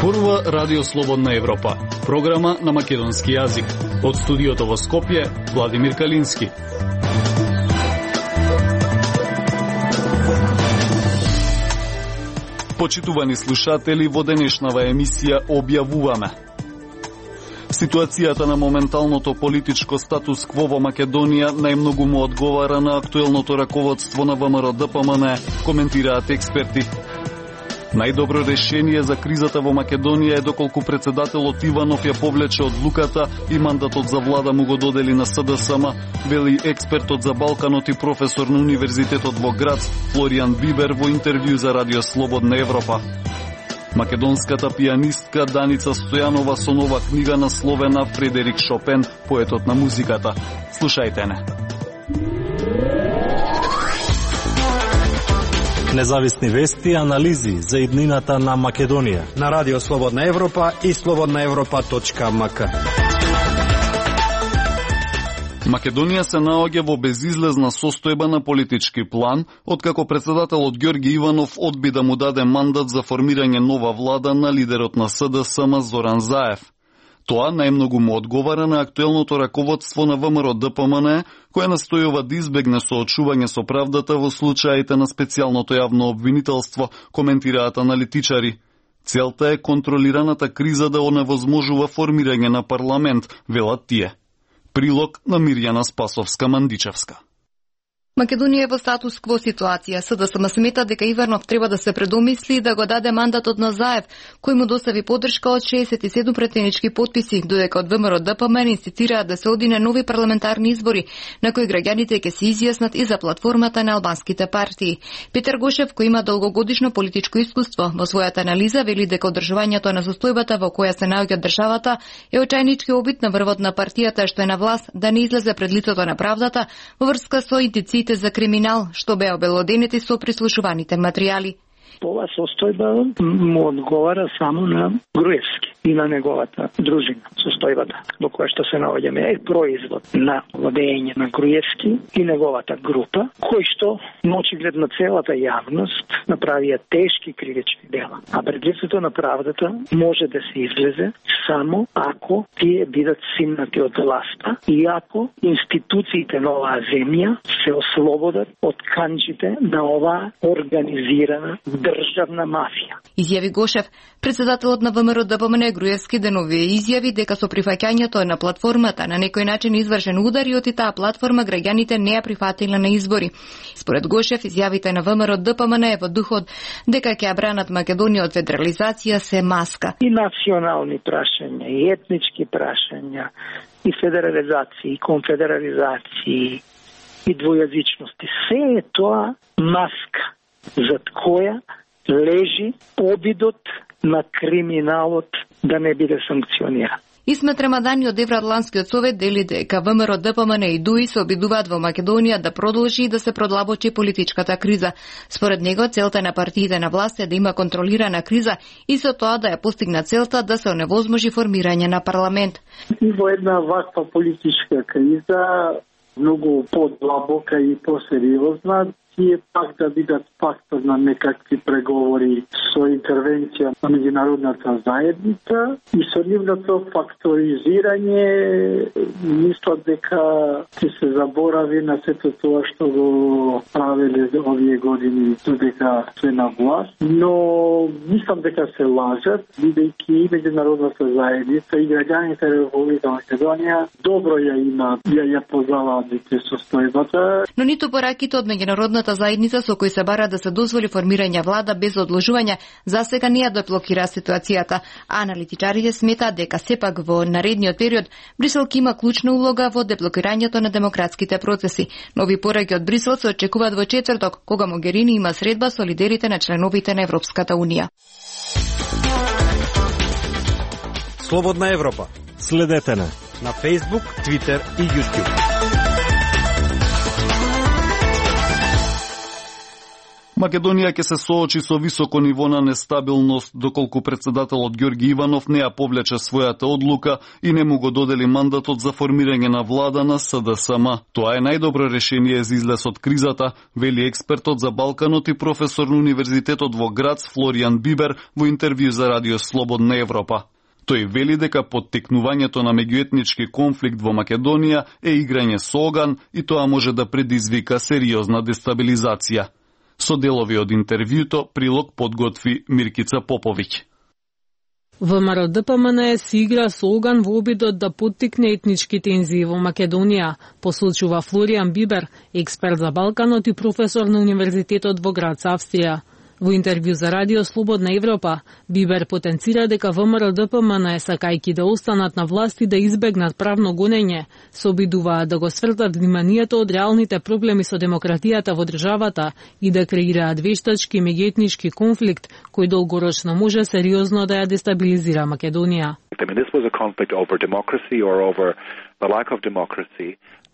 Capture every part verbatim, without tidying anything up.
Зборува Радио Слободна Европа, програма на македонски јазик. Од студиото во Скопје, Владимир Калински. Почитувани слушатели, во денешнава емисија објавуваме: ситуацијата на моменталното политичко статус кво во Македонија најмногу му одговара на актуелното раководство на ВМРО-ДПМН, коментираат експерти. Најдобро решение за кризата во Македонија е доколку председателот Иванов ја повлече одлуката и мандатот за влада му го додели на СДСМ, вели експертот за Балканот и професор на Универзитетот во Грац Флоријан Бибер во интервју за Радио Слободна Европа. Македонската пијанистка Даница Стојанова со нова книга насловена Фредерик Шопен, поетот на музиката. Слушајте не. Независни вести и анализи за иднината на Македонија на Радио Слободна Европа и слободна европа точка ем ка. Македонија се наоѓа во безизлезна состојба на политички план, откако председателот Ѓорги Иванов одби да му даде мандат за формирање нова влада на лидерот на СДСМ Зоран Заев. Тоа најмногу му одговара на актуелното раководство на ВМРО-ДПМН, кое настојува да избегне соочување со правдата во случаите на специјалното јавно обвинителство, коментираат аналитичари. Целта е контролираната криза да оневозможува формирање на парламент, велат тие. Прилог на Мирјана Спасовска-Мандичевска. Македонија е во статус кво ситуација. СДСМ смета дека Иванов треба да се предомисли и да го даде мандатот на Заев, кој му достави поддршка од шеесет и седум претенички потписи, додека од ВМРО-ДПМН инсистираат да се оди на нови парламентарни избори, на кои граѓаните ќе се изјаснат и за платформата на албанските партии. Петар Гошев, кој има долгогодишно политичко искуство, во својата анализа вели дека одржувањето на состојбата во која се наоѓа државата е очајнички обид на врвот на партијата што е на власт да не излезе пред лицето на правдата во врска со индициите за криминал, што беа обелоденети со прислушуваните материјали. Ова состојба му одговара само на Груевски и на неговата дружина. Состојбата во која што се наоѓаме е производ на владење на Груевски и неговата група, кои што на очигледно целата јавност направија тешки кривични дела. А пред лицето на правдата може да се излезе само ако тие бидат симнати од власта и ако институциите на оваа земја се ослободат од канџите на оваа организирана државна мафија. Изјави Гошев. Председателот на ВМРО-ДПМН Груевски деновие изјави дека со прифаќањето на платформата на некој начин извршен удар и од таа платформа граѓаните не ја прифатиле на избори. Според Гошев, изјавите на ВМРО-ДПМН е во духот дека ќе ја бранат Македонија од федерализација се маска. И национални прашања, и етнички прашања, и федерализација, и конфедерализација, и двојазичности. Се е тоа маска зад која лежи обидот на криминалот да не биде санкциониран. Исмет Рамадани од Евроатланскиот совет дели дека ВМРО-ДПМН и ДУИ се обидуваат во Македонија да продолжи и да се продлабочи политичката криза. Според него, целта на партиите на власт е да има контролирана криза и со тоа да ја постигна целта да се оневозможи формирање на парламент. И во една ваква политичка криза, многу подлабока и посериозна, тие пак да бидат фактор на некакви преговори со интервенција на меѓународната заедница и со нивното факторизирање, мислат дека ќе се заборави на сето тоа што го правеле овие години додека се на власт, но мислам дека се лажат, бидејќи и меѓународната заедница и граѓаните на Република Македонија добро ја има, ја ја познаваат состојбата. Но ниту пораките од меѓународната заедница со кои се бара да се дозволи формирање влада без одложување, засега не ја деблокира ситуацијата. А аналитичарите сметаат дека сепак во наредниот период Брисел ќе има клучна улога во деблокирањето на демократските процеси. Нови пораки од Брисел се очекуваат во четврток, кога Могерини има средба со лидерите на членовите на Европската унија. Слободна Европа. Следете на на Facebook, Twitter и YouTube. Македонија ќе се соочи со високо ниво на нестабилност доколку претседателот Ѓорги Иванов не ја повлече својата одлука и не му го додели мандатот за формирање на влада на С Д С М. Тоа е најдобро решение за излез од кризата, вели експертот за Балканот и професор на Универзитетот во Грац Флоријан Бибер во интервју за Радио Слободна Европа. Тој вели дека поттикнувањето на меѓуетнички конфликт во Македонија е играње со оган и тоа може да предизвика сериозна дестабилизација. Со делови од интервјуто прилог подготви Миркица Поповиќ. ВМРО Д П М Н си игра со оган во обидот да поттикне етнички тензии во Македонија, посочува Флоријан Бибер, експерт за Балканот и професор на Универзитетот во Грац, Австрија. Во интервју за Радио Слободна Европа, Бибер потенцира дека ВМРО Д П М Н, сакајќи да останат на власт и да избегнат правно гонење, се обидуваат да го свртат вниманието од реалните проблеми со демократијата во државата и да креираат вештачки меѓуетнички конфликт кој долгорочно може сериозно да ја дестабилизира Македонија.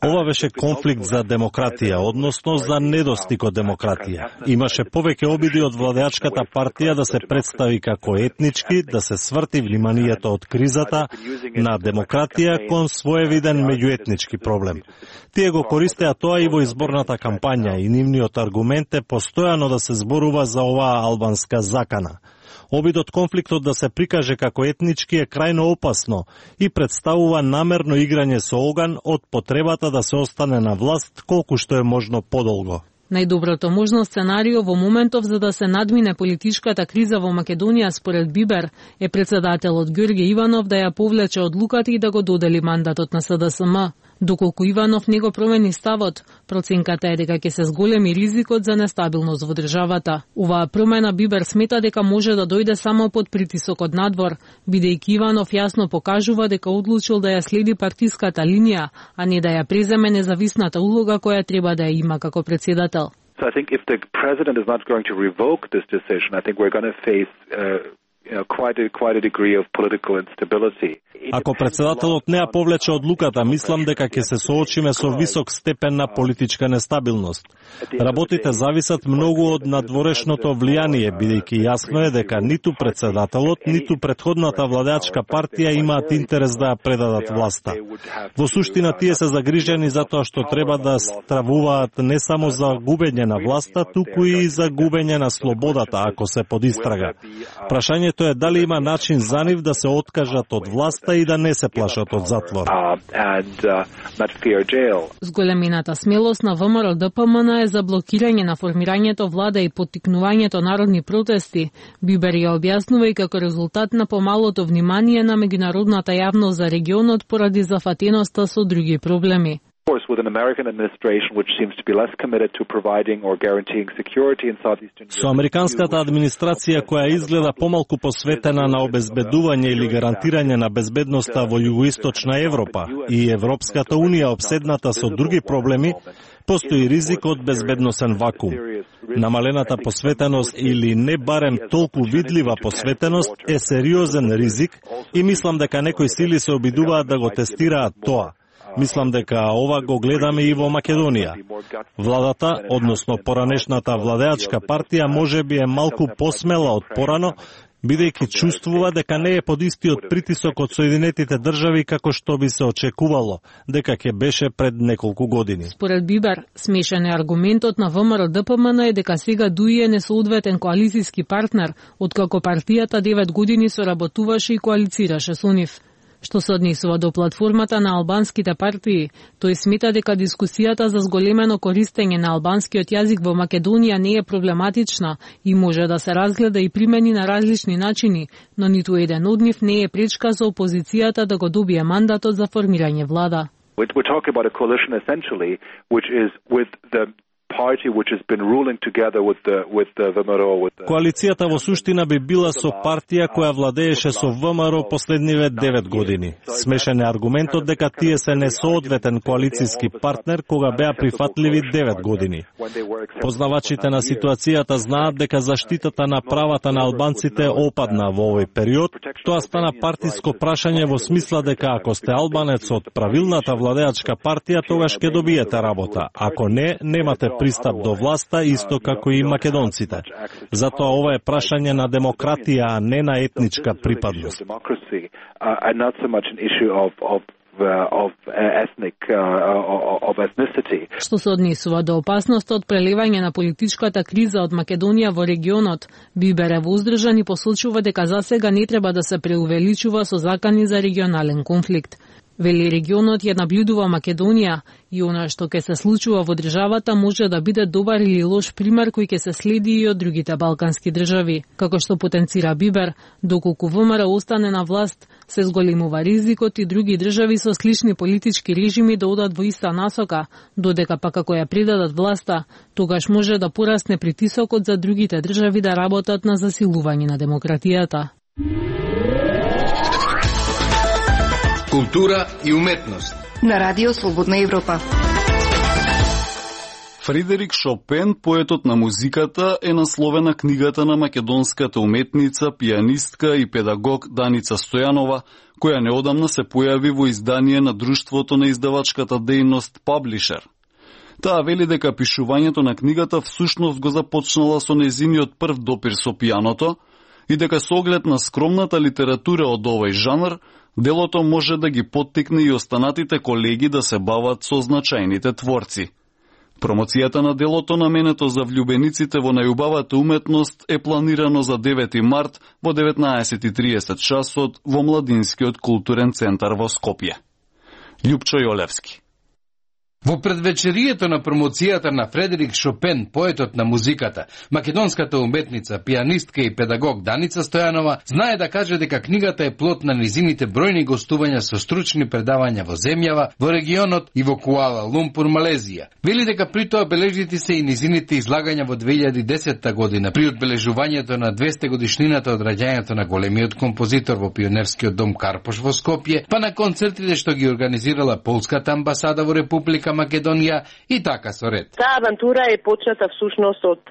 Ова беше конфликт за демократија, односно за недостиг од демократија. Имаше повеќе обиди од владеачката партија да се представи како етнички, да се сврти вниманието од кризата на демократија кон своевиден меѓуетнички проблем. Тие го користеа тоа и во изборната кампања и нивниот аргумент е постојано да се зборува за оваа албанска закана. Обидот конфликтот да се прикаже како етнички е крајно опасно и представува намерно играње со оган од потребата да се остане на власт колку што е можно подолго. Најдоброто можно сценарио во моментов за да се надмине политичката криза во Македонија според Бибер е претседателот Ѓорги Иванов да ја повлече одлуката и да го додели мандатот на С Д С М. Доколку Иванов не го промени ставот, проценката е дека ќе се зголеми ризикот за нестабилност во државата. Оваа промена Бибер смета дека може да дојде само под притисок од надвор, бидејќи Иванов јасно покажува дека одлучил да ја следи партиската линија, а не да ја преземе независната улога која треба да ја има како претседател. So I think if the president is not going to revoke this decision, I think we're going to face uh, you know, quite a, quite a degree of political instability. Ако претседателот не ја повлече одлуката, мислам дека ќе се соочиме со висок степен на политичка нестабилност. Работите зависат многу од надворешното влијание, бидејќи јасно е дека ниту претседателот, ниту претходната владеачка партија имаат интерес да ја предадат власта. Во суштина тие се загрижени за тоа што треба да стравуваат не само за губење на власта, туку и за губење на слободата ако се под истрага. Прашањето е дали има начин за нив да се откажат од власта и да не се плашат од затвор. Зголемината смелост на ВМРО Д П М Н е за блокирање на формирањето влада и поттикнувањето народни протести. Бибер ја објаснува и како резултат на помалото внимание на меѓународната јавност за регионот поради зафатеноста со други проблеми. Со американската администрација која изгледа помалку посветена на обезбедување или гарантирање на безбедноста во југоисточна Европа и Европската унија обседната со други проблеми, постои ризик од безбедносен вакуум. Намалената посветеност или не барем толку видлива посветеност е сериозен ризик и мислам дека некои сили се обидуваат да го тестираат тоа. Мислам дека ова го гледаме и во Македонија. Владата, односно поранешната владеачка партија, можеби е малку посмела од порано, бидејќи чувствува дека не е под истиот притисок од Соединетите држави како што би се очекувало, дека ќе беше пред неколку години. Според Бибер, смешен е аргументот на ВМРО Д П М Н е дека сега ДУИ е несоодветен коалицијски партнер, откако партијата девет години соработуваше и коалицираше со нив. Што се однесува до платформата на албанските партии, тој смета дека дискусијата за зголемено користење на албанскиот јазик во Македонија не е проблематична и може да се разгледа и примени на различни начини, но ниту еден од нив не е пречка за опозицијата да го добие мандатот за формирање влада. We're talking about a coalition essentially, which is with the party which has been ruling together with the with the V M R O with the... Коалицијата во суштина би била со партија која владееше со В M R O последниве девет години. Смешен е аргументот дека тие се несоодветен коалицијски партнер кога беа прифатливи девет години. Познавачите на ситуацијата знаат дека заштитата на правата на албанците опадна во овој период. Тоа стана партиско прашање во смисла дека ако сте албанец од правилната владеачка партија, тогаш ќе добиете работа. Ако не, немате пристап до власта, исто како и македонците. Затоа ова е прашање на демократија, а не на етничка припадност. Of ethnic uh, of ethnicity. Што се однесува до опасноста од преливање на политичката криза од Македонија во регионот, Бибер е воздржан и посочува дека засега не треба да се преувеличува со закани за регионален конфликт. Вели регионот ја наблюдува Македонија и она што ќе се случува во државата може да биде добар или лош пример кој ќе се следи и од другите балкански држави. Како што потенцира Бибер, доколку ВМРО остане на власт, се зголемува ризикот и други држави со слични политички режими да одат во иста насока, додека пак ако ја предадат власта, тогаш може да порасне притисокот за другите држави да работат на засилување на демократијата. Култура и уметност. На Радио Слободна Европа. Фредерик Шопен, поетот на музиката, е насловена книгата на македонската уметница, пианистка и педагог Даница Стојанова, која неодамна се појави во издание на Друштвото на издавачката дејност Publisher. Таа вели дека пишувањето на книгата всушност го започнала со незиниот прв допир со пианото и дека со оглед на скромната литература од овој жанр, делото може да ги поттикне и останатите колеги да се бават со значајните творци. Промоцијата на делото наменето за влюбениците во најубавата уметност е планирано за девети март во деветнаесет и триесет часот во Младинскиот културен центар во Скопје. Љупчо Јолевски. Во предвечерието на промоцијата на Фредерик Шопен, поетот на музиката, македонската уметница, пианистка и педагог Даница Стојанова знае да каже дека книгата е плод на низините бројни гостувања со стручни предавања во земјава, во регионот и во Куала Лумпур, Малезија. Вели дека при тоа бележити се и низините излагања во две илјади и десета година при одбележувањето на двесте годишнината од раѓањето на големиот композитор во Пионерскиот дом Карпош во Скопје, па на концертите што ги организирала полската амбасада во Република Македонија и така со ред. Таа авантура е почната всушност од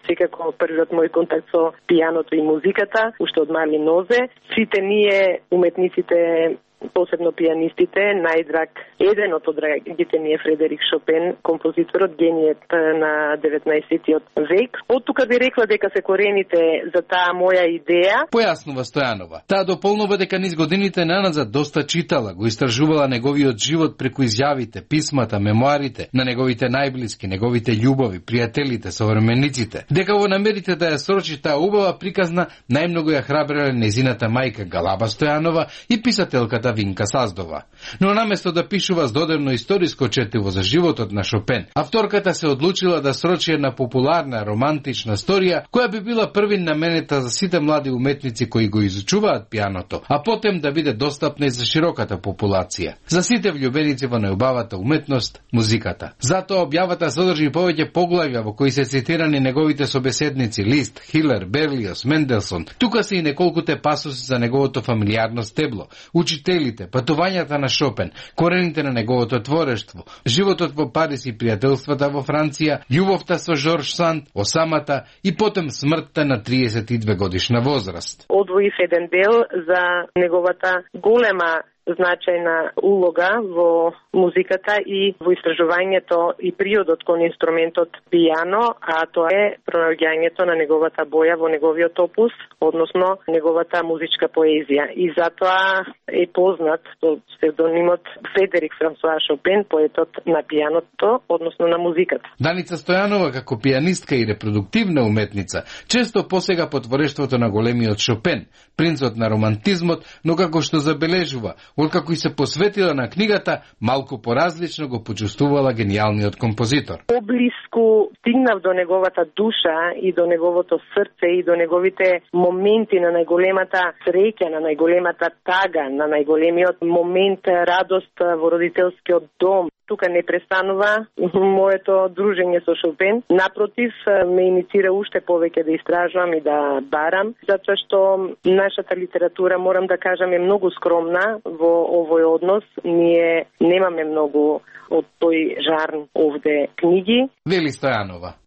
секако првиот мој контакт со пианото и музиката, уште од мали нозе. Сите ние уметниците, посебно пианистите, најдраг, еден од драгите ми е Фредерик Шопен, композиторот, генијет на деветнаесеттиот век. Од тука би рекла дека се корените за таа моја идеја. Појаснува Стојанова. Таа дополнува дека низ годините наназад доста читала, го истражувала неговиот живот преку изјавите, писмата, мемуарите на неговите најблиски, неговите љубови, пријателите, современиците. Дека во намерите да ја срочи таа убава приказна, најмногу ја храбреле незината мајка Галаба Стојанова и писателката Винка Саздова. Но наместо да пишува здодевно историско четиво за животот на Шопен, авторката се одлучила да срочи една популарна романтична сторија која би била првин наменета за сите млади уметници кои го изучуваат пианото, а потем да биде достапна и за широката популација. За сите влюбеници во најубавата уметност, музиката. Затоа објавата содржи повеќе поглавја во кои се цитирани неговите собеседници Лист, Хилер, Берлиос, Менделсон. Тука се и неколкуте пасуси за неговото фамилиарно стебло, учители, патувањата на Шопен, корените на неговото творештво, животот во Париз и пријателствата во Франција, љубовта со Жорж Санд, осамата и потем смртта на триесет и две годишна возраст. Одвоив еден дел за неговата голема значајна улога во музиката и во истражувањето и приодот кон инструментот пијано, а тоа е пронаоѓањето на неговата боја во неговиот опус, односно неговата музичка поезија. И затоа е познат со псевдонимот Фредерик Франсуа Шопен, поетот на пијаното, односно на музиката. Даница Стојанова, како пианистка и репродуктивна уметница, често посега по творештвото на големиот Шопен, принцот на романтизмот, но како што забележува, откако и се посветила на книгата, малку поразлично го почувствувала гениалниот композитор. Поблиску стигнав до неговата душа и до неговото срце и до неговите моменти на најголемата среќа, на најголемата тага, на најголемиот момент радост во родителскиот дом. Тука не престанува моето дружење со Шопен. Напротив, ме иницира уште повеќе да истражувам и да барам, затоа што нашата литература, морам да кажам, е многу скромна во овој однос. Ние немаме многу од тој жарн овде книги. Вели Стојанова.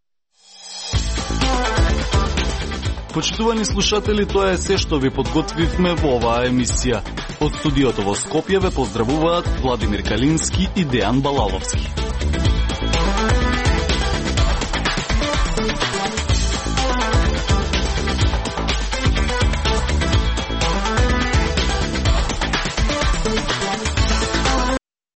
Почитувани слушатели, тоа е се што ви подготвивме во оваа емисија. Од студиото во Скопје ве поздравуваат Владимир Калински и Дејан Балаловски.